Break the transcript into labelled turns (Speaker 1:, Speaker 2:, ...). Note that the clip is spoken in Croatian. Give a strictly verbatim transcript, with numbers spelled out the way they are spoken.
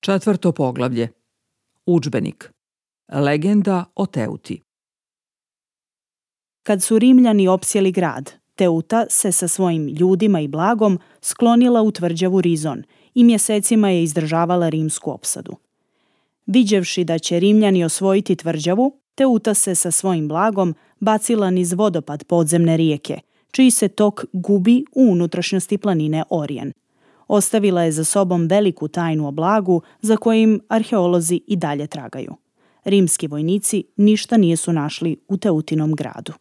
Speaker 1: Četvrto poglavlje. Udžbenik. Legenda o Teuti.
Speaker 2: Kad su Rimljani opsjeli grad, Teuta se sa svojim ljudima i blagom sklonila u tvrđavu Rizon i mjesecima je izdržavala rimsku opsadu. Viđevši da će Rimljani osvojiti tvrđavu, Teuta se sa svojim blagom bacila niz vodopad podzemne rijeke, čiji se tok gubi u unutrašnjosti planine Orijen. Ostavila je za sobom veliku tajnu o blagu za kojim arheolozi i dalje tragaju. Rimski vojnici ništa nisu našli u Teutinom gradu.